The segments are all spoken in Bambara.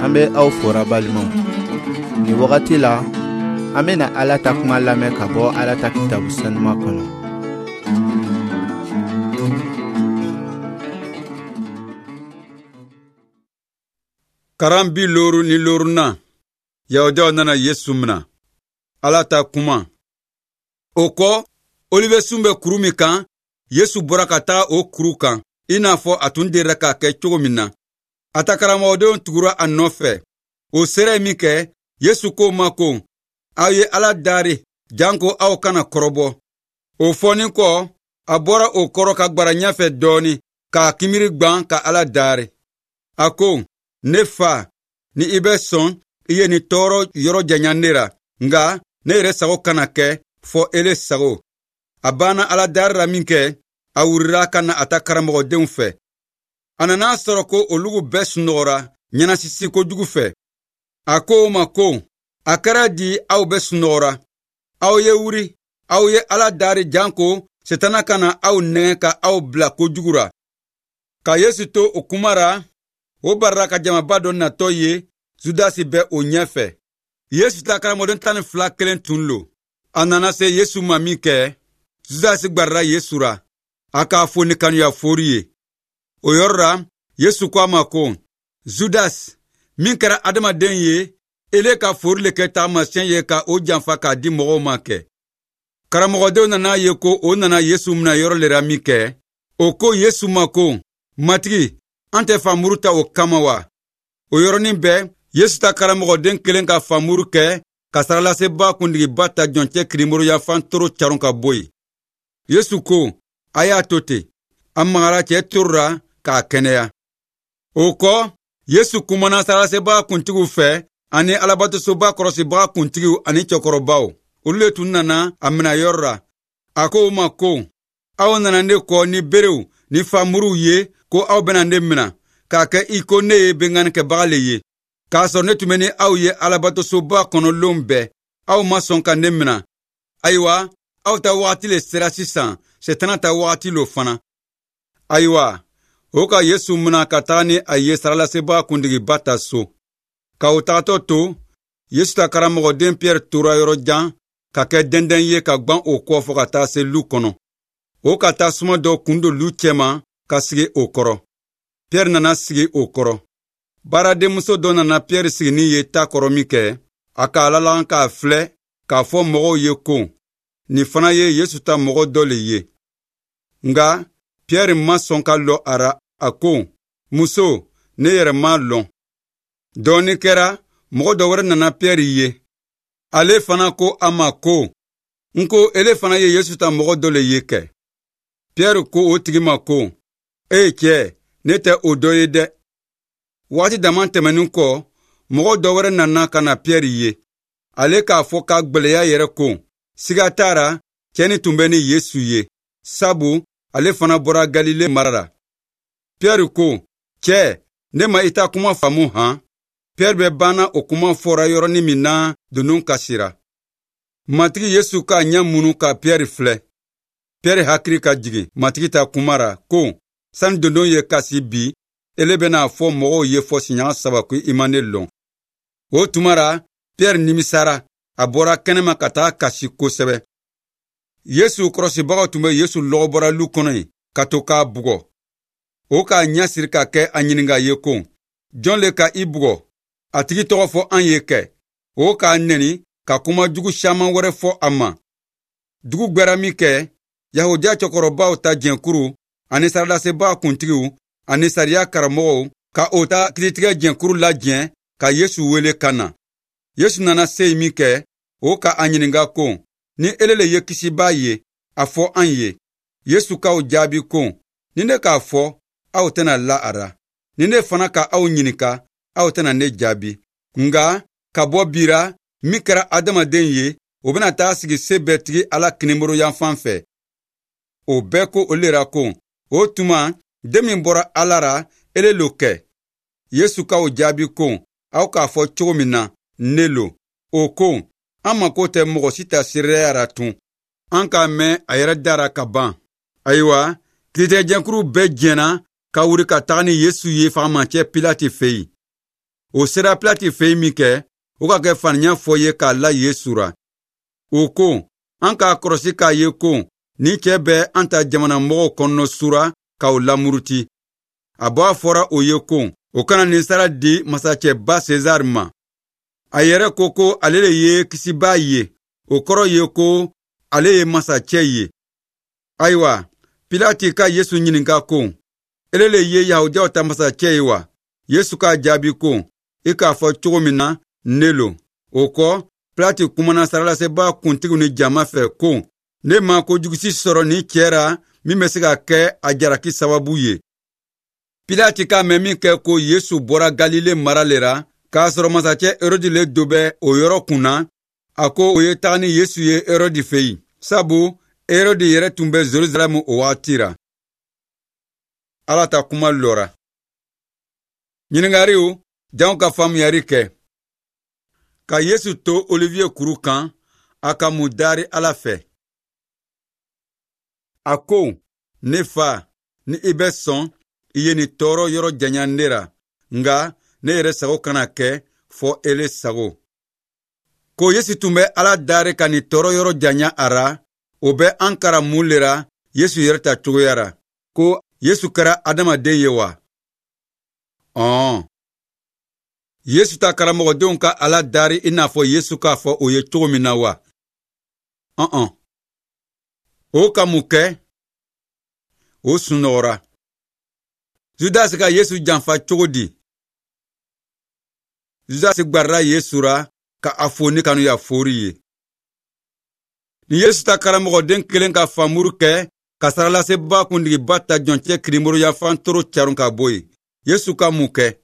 An bɛ aw fora balimaw. Nin wagati la, an bɛna Ala ta kuma lamɛn ka bɔ Ala ta kitabu sanuma kɔnɔ. Karan 55 Yahudiyaw nana Yesu mina. Ala ta kuma. O kɔ, Olivesun bɛ kuru min kan, Yesu bɔra ka taga o kuru kan, i n'a fɔ a tun delila k'a kɛ cogo min na. A ta karamɔgɔdenw tugura a nɔfɛ. O sera yen minkɛ, Yesu k'o ma ko, aw ye Ala dari, janko aw kana kɔrɔbɔ. O fɔnin kɔ, a bɔra o kɔrɔ ka gwara ɲɛfɛ dɔɔnin, k'a kinbiri gwan ka Ala dari. A ko, ne fa, ni i bɛ sɔn, i ye nin tɔɔrɔ yɔrɔ janya ne ra, nka ne yɛrɛ sago kana kɛ, fɔ ele sago. A banna Ala dari la minkɛ, a wurira ka na a ta karamɔgɔdenw fɛ. A nana a sɔrɔ ko olugu bɛɛ sunɔgɔra ɲɛnasisi kojugu fɛ. A ko o ma ko, a kɛra di aw bɛɛ sunɔgɔra? Aw ye wuri, aw ye Ala dari janko Setana kana aw nɛgɛn ka aw bila kojugu ra. Ka Yesu to o kuma ra, o barila ka jamaba dɔ natɔ ye, Judasi bɛ o ɲɛfɛ. Yesu ta karamɔgɔden 12 kelen tun lo. A nana se Yesu ma minkɛ, Judasi gbarila Yesu ra, a k'a fo ni kanuya fori ye. O yɔrɔ ra, Yesu ko a ma ko, Judas, min kɛra adamaden ye, ele ka fori le kɛ taamasiyɛn ye ka o janfa k'a di mɔgɔw ma kɛ. Karamɔgɔdenw nana ye ko o nana Yesu mina yɔrɔ le ra minkɛ, o ko Yesu ma ko, Matigi, an tɛ famuru ta o kama wa? O yɔrɔnin bɛɛ, Yesu ta karamɔgɔden kelen ka famuru kɛ ka sarakalasebaa kuntigiba ta jɔncɛ kininboloyanfan toro caron ka bɔ yen. Yesu ko, a y'a to ten. A magara cɛ toro ra k'a kɛnɛya. O kɔ, Yesu kumana sarakalasebaa kuntigiw fɛ ani alabatosoba kɔlɔsibaga kuntigiw ani cɛkɔrɔbaw. Olu le tun nana a mina yɔrɔ ra. A ko u ma ko, aw nana ne kɔ ni berew ni famuruw ye ko aw bɛna ne mina, k'a kɛ i ko ne ye binkannikɛbaga le ye. K'a sɔrɔ ne tun bɛ ni aw ye alabatosoba kɔnɔ lon bɛɛ, aw ma sɔn ka ne mina. Ayiwa, aw ta wagati le sera sisan, Setana ta wagati lo fana. Ayiwa, o ka Yesu mina ka taga ni a ye sarakalasebaa kuntigiba ta so. Ka o tagatɔ to, Yesu ta karamɔgɔden Piyɛri tora yɔrɔ jan ka kɛ dɛndɛn ye ka gwan o kɔ fo ka taa se lu kɔnɔ. O ka taa suma dɔ kun don lu cɛma ka sigi o kɔrɔ. Piyɛri nana sigi o kɔrɔ. Baaradenmuso dɔ nana Piyɛri siginin ye ta kɔrɔ minkɛ, a k'a lalan k'a filɛ k'a fɔ mɔgɔw ye ko, nin fana ye Yesu ta mɔgɔ dɔ le ye. Nka Piyɛri ma sɔn ka lɔ a ra, a ko, muso, ne yɛrɛ m'a lɔn. Dɔɔnin kɛra, mɔgɔ dɔ wɛrɛ nana Piyɛri ye. Ale fana ko a ma ko, n ko ele fana ye Yesu ta mɔgɔ dɔ le ye kɛ. Piyɛri ko o tigi ma ko, e cɛ, ne tɛ o dɔ ye dɛ. Waati dama tɛmɛnin kɔ, mɔgɔ dɔ wɛrɛ nana ka na Piyɛri ye. Ale k'a fɔ k'a gwɛlɛya yɛrɛ ko, siga t'a ra, cɛ nin tun bɛ ni Yesu ye, sabu ale fana bɔra Galile mara la. Piyɛri ko, cɛ, ne ma i ta kuma faamu han? Piyɛri bɛ banna o kuma fɔra yɔrɔnin min na, dondon kasira. Matigi Yesu k'a ɲɛ munu ka Piyɛri filɛ. Piyɛri hakili ka jigin Matigi ta kuma ra ko, sani dondon ye kasi bi, ele bɛna a fɔ mɔgɔw ye fɔ siɲɛ 3 ko i ma ne lɔn. O tuma ra, Piyɛri nimisara, a bɔra kɛnɛma ka taga kasi kosɛbɛ. Yesu kɔrɔsibagaw tun bɛ Yesu lɔgɔbɔra lu kɔnɔ yen ka to k'a bugɔ. O k'a ɲɛ siri ka kɛ a ɲininka ye ko, jɔn le ka i bugɔ? A tigi tɔgɔ fɔ an ye kɛ. O k'a nɛni ka kuma jugu caman wɛrɛ fɔ a ma. Dugu gwɛra minkɛ, Yahudiya cɛkɔrɔbaw ta jɛnkuru ani sarakalasebaa kuntigiw ani sariya karamɔgɔw ka o ta kiritigɛ jɛnkuru lajɛ ka Yesu wele ka na. Yesu nana se yen minkɛ, o ka a ɲininka ko, ni ele le ye kisibaa ye, a fɔ an ye. Yesu k'aw jaabi ko, ni ne k'a fɔ, aw tɛna la a ra. Ni ne fana ka aw ɲininka, aw tɛna ne jaabi. Nka ka bɔ bi ra, min kɛra adamaden ye, o bɛna taa sigi se bɛɛ tigi Ala kininbolo yanfan fɛ. O bɛɛ ko o le ra ko, o tuma, den min bɔra Ala ra, ele lo kɛ. Yesu k'aw jaabi ko, aw k'a fɔ cogo min na, ne lo. O ko, an mako tɛ mɔgɔ si ta seereya ra tun. An k'a mɛn a yɛrɛ da ra ka ban. Ayiwa, kiritigɛjɛnkuru bɛɛ jɛnna ka wuli ka taga ni Yesu ye fagamacɛ Pilati fɛ yen. O sera Pilati fɛ yen minkɛ, o ka kɛ faniya fɔ ye k'a la Yesu ra. O ko, an k'a kɔrɔsi k'a ye ko nin cɛ bɛ an ta jamana mɔgɔw kɔnɔ sura ka o lamuruti. A b'a fɔra o ye ko o kana nin sara di masacɛba Sezar ma. A yɛrɛ ko ko ale le ye kisibaa ye, o kɔrɔ ye ko ale ye masacɛ ye. Ayiwa, Pilati ka Yesu ɲininka ko, ele le ye Yahudiyaw ta masacɛ ye wa? Yesu k'a jaabi ko, i k'a fɔ cogo min na, ne lo. O kɔ, Pilati kumana sarakalasebaa kuntigiw ni jama fɛ ko, ne ma kojugu si sɔrɔ nin cɛ ra min bɛ se ka kɛ a jalaki sababu ye. Pilati k'a mɛn min kɛ ko Yesu bɔra Galile mara le ra, k'a sɔrɔ masacɛ Herodi le do bɛ o yɔrɔ kun na, a ko o ye taga ni Yesu ye Herodi fɛ yen, sabu Herodi yɛrɛ tun bɛ Jerusalɛmu o wagati ra. Ala ta kuma lɔra. Ɲininkariw, janw ka faamuyari kɛ. Ka Yesu to Olivier kuru kan, a ka mun dari Ala fɛ. A ko, ne fa, ni i bɛ sɔn, i ye nin tɔɔrɔ yɔrɔ janya ne ra, nka ne yɛrɛ sago kana kɛ, fɔ ele sago. Ko Yesu tun bɛ Ala dari ka nin tɔɔrɔ yɔrɔ janya a ra, o bɛ an karan mun le ra Yesu yɛrɛ ta cogoya ra, ko Yesu kɛra adamaden ye wa? Ɔn. Yesu ta karamɔgɔdenw ka Ala dari i n'a fɔ Yesu k'a fɔ o ye cogo min na wa? Ɔn. O ka mun kɛ? O sunɔgɔra. Judasi ka Yesu janfa cogo di? Judasi gbarila Yesu ra ka a fo ni kanuya fori ye. Ni Yesu ta karamɔgɔden kelen ka famuru kɛ ka sarakalasebaa kuntigiba ta jɔncɛ kirimoro yanfan toro caron ka bɔ yen, Yesu ka mun kɛ?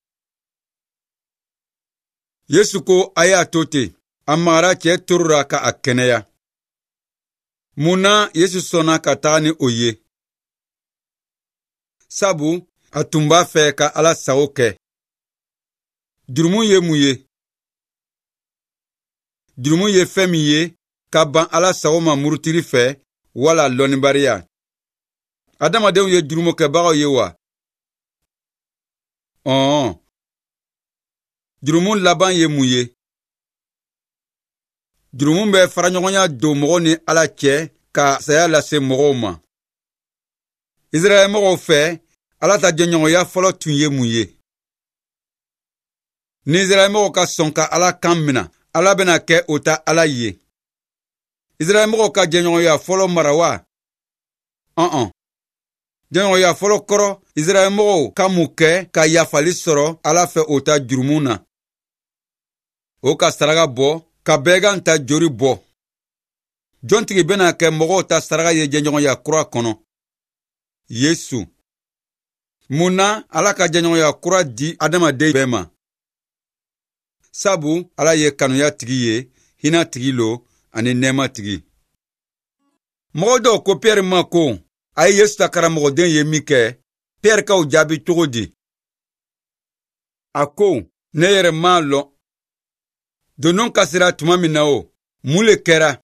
Yesu ko a y'a to ten, a magara cɛ toro ra ka a kɛnɛya. Mun na Yesu sɔnna ka taga ni o ye? Sabu a tun b'a fɛ ka Ala sago kɛ. Jurumu ye mun ye? Jurumu ye fɛn min ye ka ban Ala sago ma murutili fɛ wala lɔnnibariya. Adamadenw ye jurumukɛbagaw ye wa? Ɔn. Jurumu laban ye mun ye? Jurumu bɛ faraɲɔgɔnya don mɔgɔw ni Ala cɛ ka saya lase mɔgɔw ma. Israɛl mɔgɔw fɛ, Ala ta jɛɲɔgɔnya fɔlɔ tun ye mun ye? Ni Israɛl mɔgɔw ka sɔn ka Ala kan mina, Ala bɛna kɛ o ta Ala ye. Israɛl mɔgɔw ka jɛɲɔgɔnya fɔlɔ mara wa? Ɔn. Jɛɲɔgɔnya fɔlɔ kɔrɔ, Israɛl mɔgɔw ka mun kɛ ka yafali sɔrɔ Ala fɛ o ta jurumu na? O ka saraka bɔ, ka bɛɛgan ta jori bɔ. Jɔntigi bɛna kɛ mɔgɔw ta saraka ye jɛɲɔgɔnya kura kɔnɔ? Yesu. Mun na Ala ka jɛɲɔgɔnya kura di adamaden bɛɛ ma? Sabu Ala ye kanuya tigi ye, hinɛ tigi lo ani nɛɛma tigi. Mɔgɔ dɔw ko Piyɛri ma ko a ye Yesu ta karamɔgɔden ye min kɛ, Piyɛri k'o jaabi cogo di? A ko, ne yɛrɛ m'a lɔn. Donon kasira tuma min na o, mun le kɛra?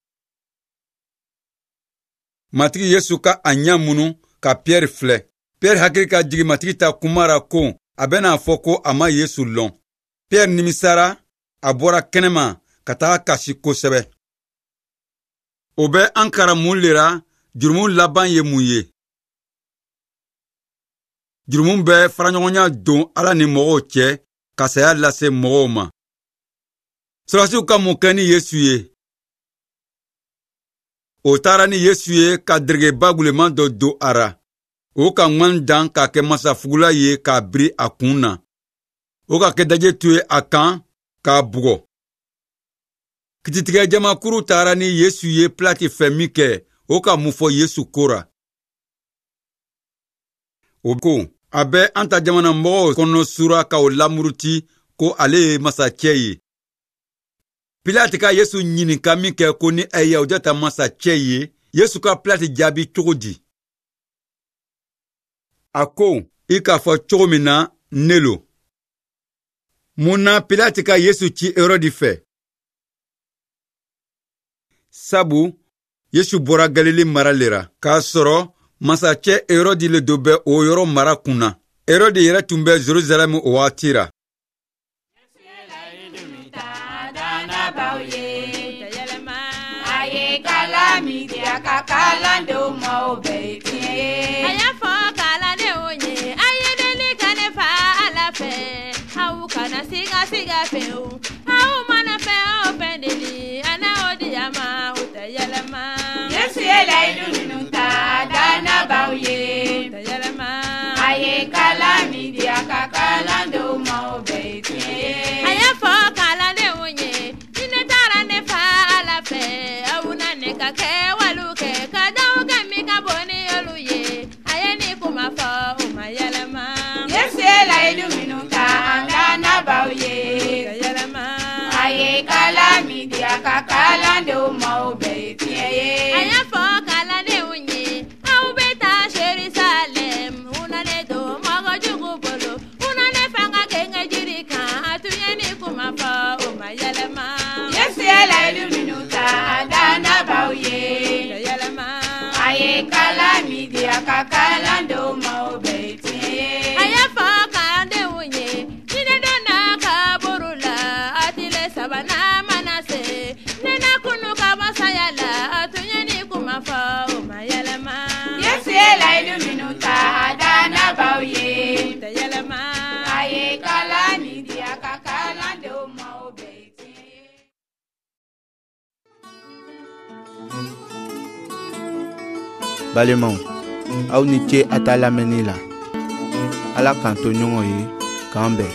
Matigi Yesu ka a ɲɛ munu ka Piyɛri filɛ. Piyɛri hakili ka jigin Matigi ta kuma ra ko a bɛna a fɔ ko a ma Yesu lɔn. Piyɛri nimisara, a bɔra kɛnɛma ka taga kasi kosɛbɛ. O bɛ an karan mun le ra jurumu laban ye mun ye? Jurumu bɛ faraɲɔgɔnya don Ala ni mɔgɔw cɛ ka saya lase mɔgɔw ma. Sɔrɔdasiw ka mun kɛ ni Yesu ye? O taara ni Yesu ye ka deregeba guleman dɔ don a ra. O ka ŋwan dan k'a kɛ masafugula ye k'a biri a kun na. O ka kɛ daje tu ye a kan k'a bugɔ. Kititigɛ jamakuru taara ni Yesu ye Pilati fɛ min kɛ, o ka mun fɔ Yesu ko ra? O ko, a bɛ an ta jamana mɔgɔw kɔnɔ sura ka o lamuruti ko ale ye masacɛ ye. Pilati ka Yesu ɲininka min kɛ ko ni a ye Yahudiya ta masacɛ ye, Yesu ka Pilati jaabi cogo di? A ko, i k'a fɔ cogo min na, ne lo. Mun na Pilati ka Yesu ci Herodi fɛ? Sabu Yesu bɔra Galile mara le ra, k'a sɔrɔ masacɛ Herodi le do bɛ o yɔrɔ mara kun na. Herodi yɛrɛ tun bɛ Jerusalɛmu o wagati ra. min di a ka kalandenw ma, o bɛɛ ye tiɲɛ ye. A y'a fɔ kalandenw ye, a ye deli ka ne fa Ala fɛ, aw kana siga siga fewu. Aw mana fɛn o fɛn deli, a na o di a ma, o tɛ yɛlɛma. Yesu ye layidu minnu ta dannabaw ye, o tɛ yɛlɛma. A ye kalan min di a ka kalandenw ma, o bɛɛ ye tiɲɛ ye. A y'a fɔ kalandenw ye, ni ne taara ne fa Ala fɛ, aw na ne ka kɛwalew kɛ, ka daw kɛ min ka bon ni olu ye. A ye nin kuma fɔ, o ma yɛlɛma. Yesu ye layidu minnu ta an dannabaw ye, o tɛ yɛlɛma. A ye kalan min di a ka kalandenw ma, o bɛɛ ye tiɲɛ ye. A y'a fɔ kalandenw ye, aw bɛ taa Jerusalɛm, u na ne don mɔgɔ jugu bolo, u na ne fanga genge jiri kan. A tun ye nin kuma fɔ, o ma yɛlɛma. Yesu ye layidu minnu ta an dannabaw ye, o tɛ yɛlɛma. A ye kalan min di a ka kalandenw ma, o bɛɛ ye tiɲɛ ye. A y'a fɔ kalandenw ye, ni ne donna kaburu la, a tile sabanan mana se, ne na kunu ka bɔ saya la. A tun ye nin kuma fɔ, o ma yɛlɛma. Yesu ye layidu minnu ta a dannabaw ye, o tɛ yɛlɛma. A ye kalan min di a ka kalandenw ma, o bɛɛ ye tiɲɛ ye. Balimaw, aw ni ce a ta lamɛnni la. Ala k'an to ɲɔgɔn ye, k'an bɛn.